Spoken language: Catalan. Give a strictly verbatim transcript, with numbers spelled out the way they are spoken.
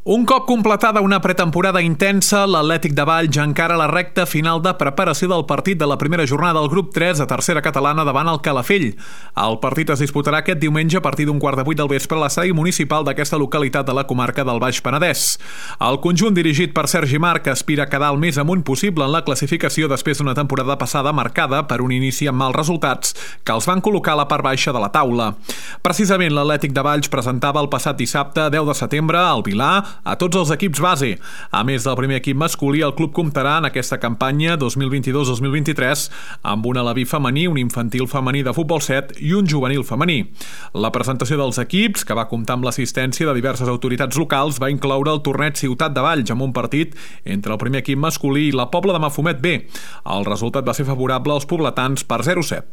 Un cop completada una pretemporada intensa, l'Atlètic de Valls encara la recta final de preparació del partit de la primera jornada del grup tres a tercera catalana davant el Calafell. El partit es disputarà aquest diumenge a partir d'un quart de vuit del vespre a l'estadi municipal d'aquesta localitat de la comarca del Baix Penedès. El conjunt dirigit per Sergi Marc aspira a quedar el més amunt possible en la classificació després d'una temporada passada marcada per un inici amb mals resultats que els van col·locar a la part baixa de la taula. Precisament l'Atlètic de Valls presentava el passat dissabte, deu de setembre, al Vilar, a tots els equips base. A més del primer equip masculí, el club comptarà en aquesta campanya dos mil vint-i-dos dos mil vint-i-tres amb un aleví femení, un infantil femení de futbol set i un juvenil femení. La presentació dels equips, que va comptar amb l'assistència de diverses autoritats locals, va incloure el torneig Ciutat de Valls amb un partit entre el primer equip masculí i la Pobla de Mafumet B. El resultat va ser favorable als pobletans per zero a set.